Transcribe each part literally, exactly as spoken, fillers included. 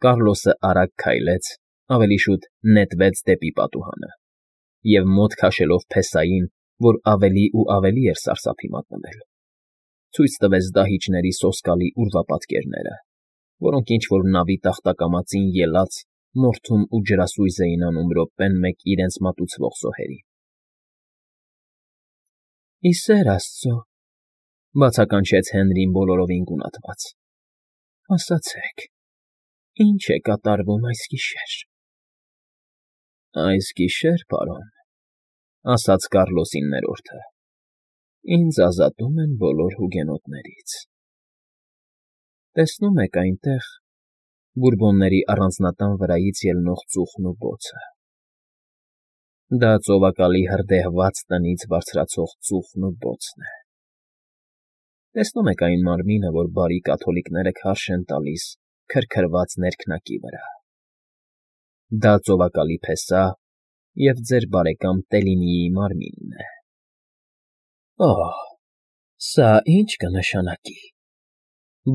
Կառլոսը արագ քայլեց, ավելի շուտ նետվեց դեպի պատուհանը և, մոտ քաշելով փեսային, որ ավելի ու ավելի էր սարսափի մատնվել, ցույց տվեց դահիճների սոսկալի ուրվապատկերները, որոնք ինչ֊որ նավի տախտակամածին ելած մորթում ու ջրասույզ էին անում րոպեն մեկ իրենց մատուցվող զոհերին։ ֊ Ի սեր աստծո,֊ բացականչեց Հենրին բոլորովին գունատված,֊ ասացեք, ի՞նչ է կատարվում այս գիշեր։ ֊ Այս գիշեր, պարոն,֊ ասաց Կառլոսի ներորդը,֊ ինձ ազատում են բոլոր հուգենոտներից… Տեսնում եք այնտեղ, Բուրբոնների առանձնատան վրայից ելնող ծուխն ու բոցը… Դա ծովակալի հրդեհված տնից բարձրացող ծուխն ու բոցն է… Տեսնում եք այն մարմինը, որ բարի կաթոլիկները քարշ են տալիս քրքրված ներքնակի վրա… Դա ծովակալի փեսա և ձեր բարեկամ Տելինիի մարմինն է… ֊ Օհ, սա ի՞նչ կնշանակի,֊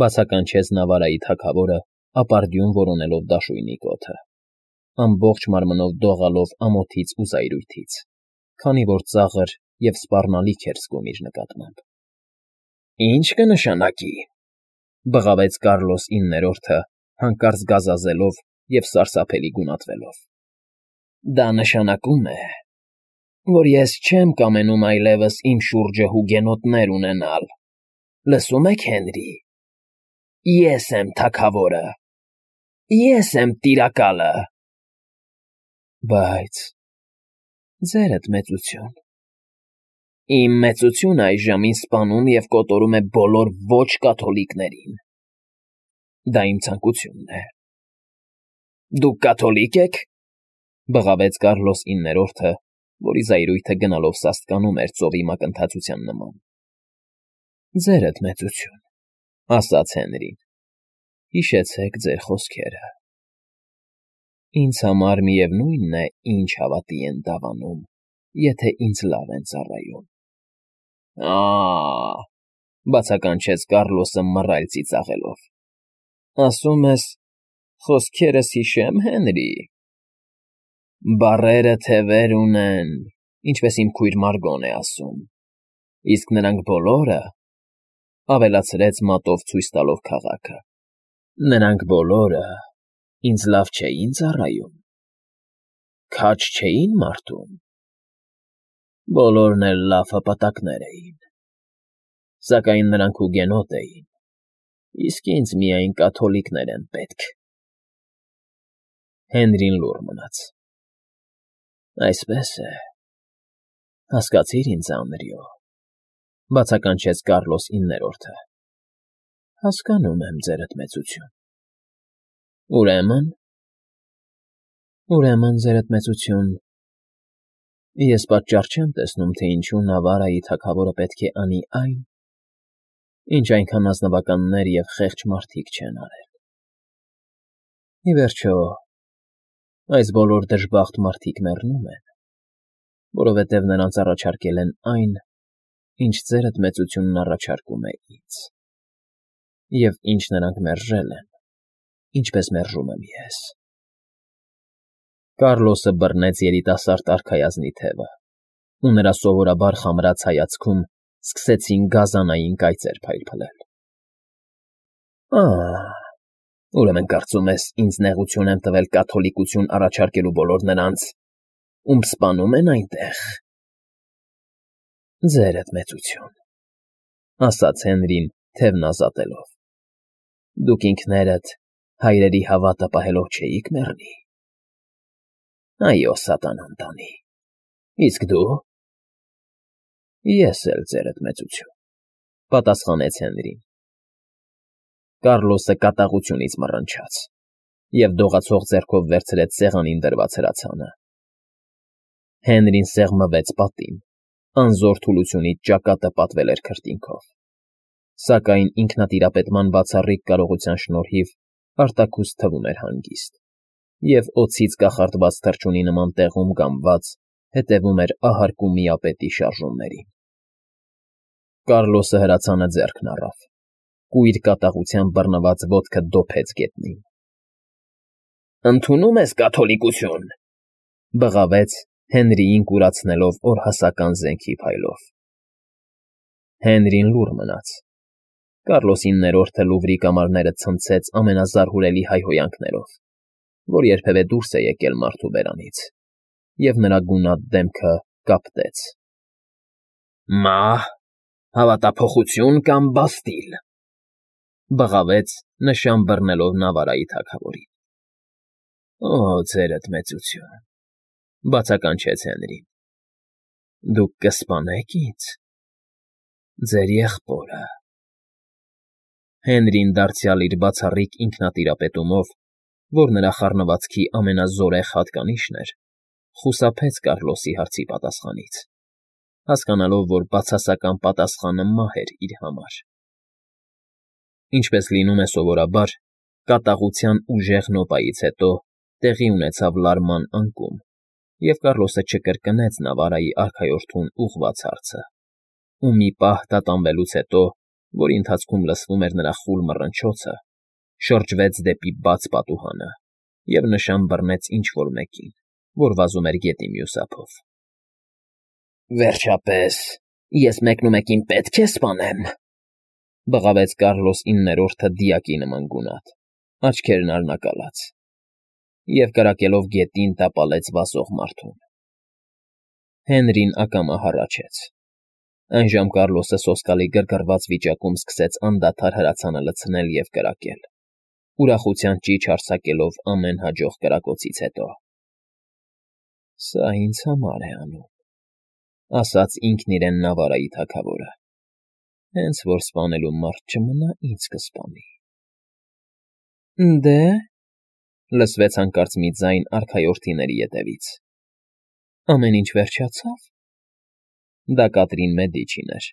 բացականչեց Նավարայի թագավորը, ապարդյուն որոնելով դաշույնի կոթը, ամբողջ մարմնով դողալով ամոթից ու զայրույթից, քանի որ ծաղր և սպառնալիք էր զգում իր նկատմամբ։ ֊ Ի՞նչ կնշանակի,֊ բղավեց Կառլոս իններորդը, հանկարծ գազազելով և սարսափելի գունատվելով,֊ դա նշանակում է, որ ես չեմ կամենում այլևս իմ շուրջը հուգենոտներ ունենալ… Լսո՞ւմ եք, Հենրի… Ես եմ թագավորը… Ես եմ տիրակալը… ֊ Բայց… ձերդ մեծություն… Իմ մեծությունն այժմ ինձ սպանում և կոտորում է բոլոր ոչ֊կաթոլիկներին… Դա իմ ցանկությունն է… Դուք կաթոլի՞կ եք,֊ բղավեց Կառլոս իններորդը, որի զայրույթը գնալով սաստկանում էր ծովի մակընթացության նման։ ֊ Ձերդ մեծություն,֊ ասաց Հենրին,֊ հիշեցեք ձեր խոսքերը… Ինձ համար միևնույն է, ինչ հավատի են դավանում, եթե ինձ լավ են ծառայում… ֊ Ա՜,֊ բացականչեց Կառլոսը մռայլ ծիծաղելով,֊ ասում ես, խոսքերս հիշե՞մ, Հենրի… Բառերը թևեր ունեն, ինչպես իմ քույր Մարգոն է ասում, իսկ նրանք բոլորը,֊ ավելացրեց մատով ցույց տալով քաղաքը,֊ նրանք բոլորը ինձ լավ չէի՞ն ծառայում, քաջ չէի՞ն մարդում… Բոլորն էլ լավ հպատակներ էին… Սակայն նրանք հուգենոտ էին, իսկ ինձ միայն կաթոլիկներ են պետք… Հենրին լուռ մնաց։ ֊ Այսպես է, հասկացիր ինձ, Անրիո,֊ բացականչեց Կառլոս իններորդը,֊ հասկանում եմ, ձերդ մեծություն… Ուրեմն… ուրեմն, ձերդ մեծություն, ես պատճառ չեմ տեսնում, թե ինչու Նավարայի թագավորը պետք է անի այն, ինչ այնքան ազնվականներ և խեղճ մարդիկ չեն արել… Ի վերջո, այս բոլոր դժբախտ մարդիկ մեռնում են, որովհետև նրանց առաջարկել են այն, ինչ ձերդ մեծությունն առաջարկում է ինձ, և ինչ նրանք մերժել են, ինչպես մերժում եմ ես… Կառլոսը բռնեց երիտասարդ արքայազնի թևը, ու նրա սովորաբար խամրած հայացքում սկսեցին գազանային կայծեր փայլփլել։ ֊ Ա՜, ուրեմն կարծում ես, ինձ նեղություն եմ տվել կաթոլիկություն առաջարկելու բոլոր նրանց, ում սպանում են այնտեղ… ֊ Ձերդ մեծություն,֊ ասաց Հենրին թևն ազատելով,֊ դուք ինքներդ հայրերի հավատը պահելով չէի՞ք մեռնի… ֊ Այո, սատանան տանի… Իսկ դու… ֊ Ես էլ, ձերդ մեծություն,֊ պատասխանեց Հենրին։ Կառլոսը կատաղությունից մռնչաց և դողացող ձեռքով վերցրեց սեղանին դրված հրացանը։ Հենրին սեղմվեց պատին, անզոր թուլությունից ճակատը պատվել էր քրտինքով, սակայն ինքնատիրապետման բացառիկ կարողության շնորհիվ արտաքուստ թվում էր հանգիստ և օձից կախարդված թռչունի նման տեղում կամված հետևում էր ahարկու միապետի շարժումներին։ Կառլոսը հրացանը ձեռքն առավ, կույր կատաղությամբ բռնված ոտքը դոփեց գետնին։ Ընդունում ես կաթոլիկություն,֊ բղավեց Հենրիին կուրացնելով օրհասական զենքի փայլով։ Հենրին լուռ մնաց։ Կառլոսի իններորդը Լուվրի կամարները ցնցեց ամենազարհուրելի հայհոյանքներով, որ երբևէ դուրս է եկել մարդու բերանից, և նրա գունատ դեմքը կապտեց։ «Մահ, հավատափոխություն կամ բաստիլ,֊ բղավեց, նշան բռնելով Նավարայի թագավորին։ «Օ, ձերդ մեծություն,֊ բացականչեց Հենրին,֊ դուք կսպանե՞ք ինձ, ձեր եղբորը»։ Հենրին դարձյալ իր բացառիկ ինքնատիրապետումով, որ նրա խառնվածքի ամենազորեղ հատկանիշն էր, խուսափեց Կառլոսի հարցի պատասխանից, հասկանալով, որ բացասական պատասխանը մահ էր իր համար։ Ինչպես լինում է սովորաբար, կատաղության ուժեղ նոպայից հետո տեղի ունեցավ լարման անկում, և Կառլոսը չկրկնեց Նավարայի արքայորդուն ուղղված հարցը, ու մի պահ տատանվելուց հետո, որի ընթացքում լսվում էր նրա խուլ մռնչոցը, շրջվեց դեպի բաց պատուհանը և նշան բռնեց ինչ֊որ մեկին, որ վազում էր գետի մյուս ափով։ «Վերջապես, ես մեկնումեկին պետք է սպանեմ,֊ բղավեց Կառլոս իններորդը դիակի նման գունատ, աչքերն արնակալած, և կրակելով գետին տապալեց վազող մարդուն։ Հենրին ակամա հառաչեց։ Այն ժամ Կառլոսը սոսկալի գրգռված վիճակում սկսեց անդադար հրացանը լցնել և կրակել, ուրախության ճիչ արձակելով ամեն հաջող կրակոցից հետո։ «Սա ինձ համար է անում,֊ ասաց ինքն իրեն Նավարայի թագավորը,֊ հենց որ սպանելու մարդ չմնա, ինձ կսպանի»։ «Դե՞,֊ լսվեց հանկարծ մի ձայն արքայորդիների ետևից,֊ ամեն ինչ վերջացա՞վ»։ Դա Կատրին Մեդիչին էր,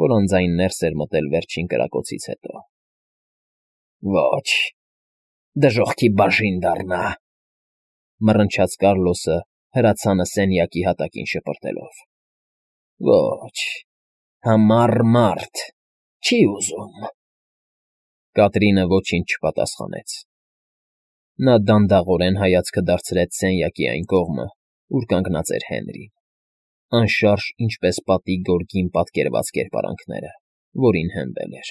որ անձայն ներս էր մտել վերջին կրակոցից հետո։ «Ոչ, դժոխքի բաժին դառնա,֊ մռնչաց Կառլոսը հրացանը սենյակի հատակին շպրտելով,֊ ոչ, համառ մարդ չի ուզում»։ Կատրինը ոչինչ չպատասխանեց։ Նա դանդաղորեն հայացքը դարձրեց սենյակի այն կողմը, ուր կանգնած էր Հենրին, անշարժ ինչպես պատի գորգին պատկերված կերպարանքները, որին հենվել էր,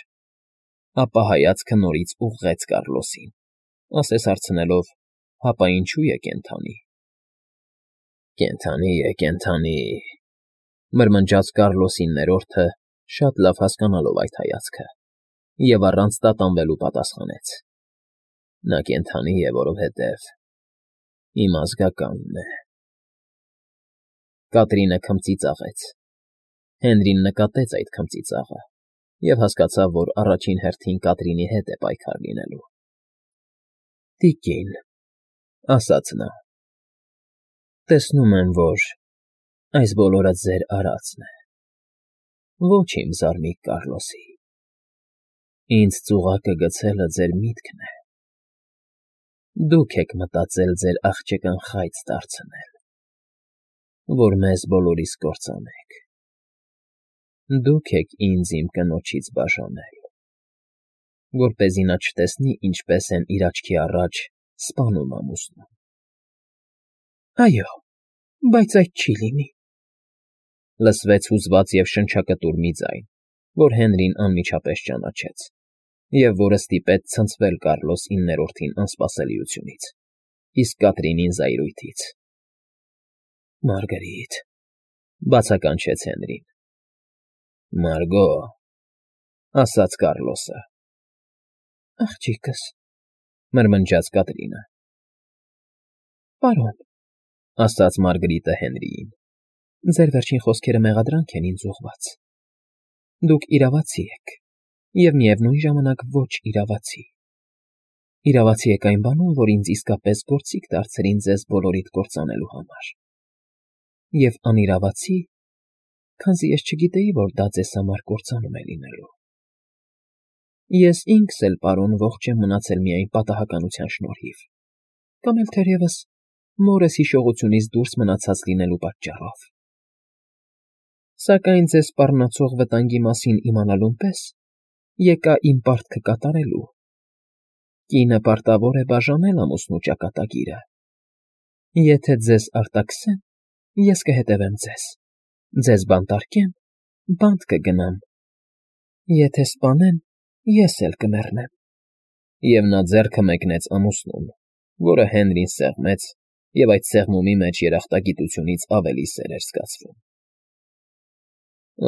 ապա հայացքը նորից ուղղեց Կառլոսին, ասես հարցնելով. «Հապա ինչո՞ւ է կենդանի»։ «Կենդանի է, կենդանի,֊ մրմնջաց Կառլոսի իններորդը, շատ լավ հասկանալով այդ հայացքը, և առանց տատանվելու պատասխանեց,֊ նա կենդանի է, որովհետև իմ ազգականն է»։ Կատրինը քմծի ծաղեց։ Հենրին նկատեց այդ քմծի ծաղը և հասկացավ, որ առաջին հերթին Կատրինի հետ է պայքար լինելու։ «Տիկին,֊ ասաց նա,֊ տեսնում եմ, որ այս բոլորը ձեր արածն է, ոչ իմ զարմիկ Կառլոսի։ Ինձ ծուղակը գցելը ձեր միտքն է։ Դուք եք մտածել ձեր աղջկան խայծ դարձնել, որ մեզ բոլորիս կործանեք։ Դուք եք ինձ իմ կնոջից բաժանել, որպեսզի նա չտեսնի ինչպես են իր աչքի առաջ սպանում ամուսնուն։ Այո, բայց այդ չի լինի,֊ լսվեց հուզված և շնչակտուր մի ձայն, որ Հենրին անմիջապես ճանաչեց, և որը ստիպեց ցնցվել Կառլոս իններորդին անսպասելիությունից, իսկ Կատրինին զայրույթից։ Մարգարիտ,֊ բացականչեց Հենրին։ Մարգո,֊ ասաց Կառլոսը։ Աղջիկս,֊ մրմնջաց Կատրինը։ Պարոն,֊ ասաց Մարգարիտը Հենրիին,֊ ձեր վերջին խոսքերը մեղադրանք են ինձ ուղղված։ Դուք իրավացի եք և միևնույն ժամանակ ոչ իրավացի։ Իրավացի եք այն բանում, որ ինձ իսկապես գործիք դարձրին ձեզ բոլորիդ կործանելու համար, և անիրավացի, քանզի ես չգիտեի, որ դա ձեզ համար կործանում է լինելու։ Ես ինքս էլ, պարոն, ողջ եմ մնացել միայն պատահականության շնորհիվ, կամ էլ թերևս մորս հիշողությունից դուրս մնացած լինելու պատճառով։ Սակայն ձեզ սպառնացող վտանգի մասին իմանալուն պես եկա իմ պարտքը կատարելու։ Կինը պարտավոր է բաժանել ամուսնու ճակատագիրը։ Եթե ձեզ արտաքսեն, ես կհետևեմ ձեզ, ձեզ բանտարկեն, բանտ կգնամ, եթե սպանեն, ես էլ կմեռնեմ։ Եվ նա ձեռքը մեկնեց ամուսնուն, որը Հենրին սեղմեց, և այդ սեղմումի մեջ երախտագիտությունից ավելի սեր էր զգացվում։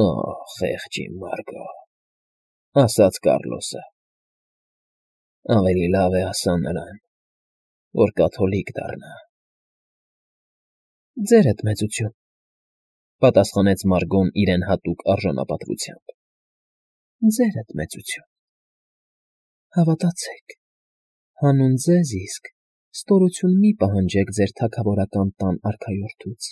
«Օ՜, խեղճ իմ Մարգո,֊ ասաց Կառլոսը,֊ ավելի լավ է ասա նրան, որ կաթոլիկ դառնա»։ «Ձերդ մեծություն,֊ պատասխանեց Մարգոն իրեն հատուկ արժանապատվությամբ,֊ ձերդ մեծություն։ Հավատացեք, հանուն ձեզ իսկ ստորություն մի՛ պահանջեք ձեր թագավորական տան արքայորդուց։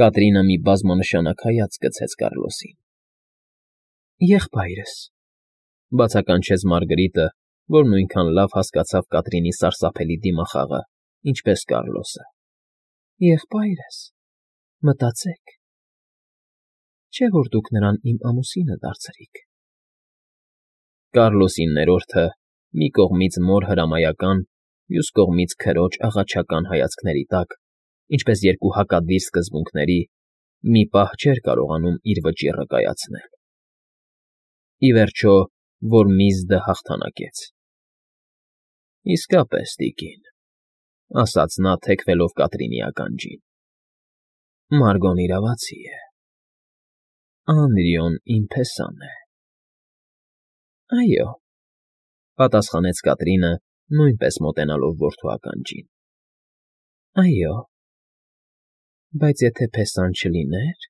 Կատրինը մի բազմանշանակ հայացք գցեց Կառլոսին։ «Եղբայրս,֊ բացականչեց Մարգրիտը, որ նույնքան լավ հասկացավ Կատրինի սարսափելի դիմախաղը, ինչպես Կառլոսը,֊ եղբայրս, մտածեք, չէ՞ որ դուք նրան իմ ամուսինը դարձրիք»։ Կառլոսի ներորդը մի կողմից մոր հրամայական, մյուս կողմից քրոջ աղաչական հայացքների տակ, ինչպես երկու հակադիր սկզբունքների, մի պահ չէր կարողանում իր վճիռը կայացնել։ Ի վերջո Որմիզդը հաղթանակեց։ «Իսկապես, տիկին,֊ ասաց նա, թեքվելով Կատրինի ականջին,֊ Մարգոն իրավացի է, Անրիոն իմ փեսան է»։ «Այո,֊ պատասխանեց Կատրինը, նույնպես մոտենալով որդու ականջին,֊ այո, բայց եթե փեսան չլիներ,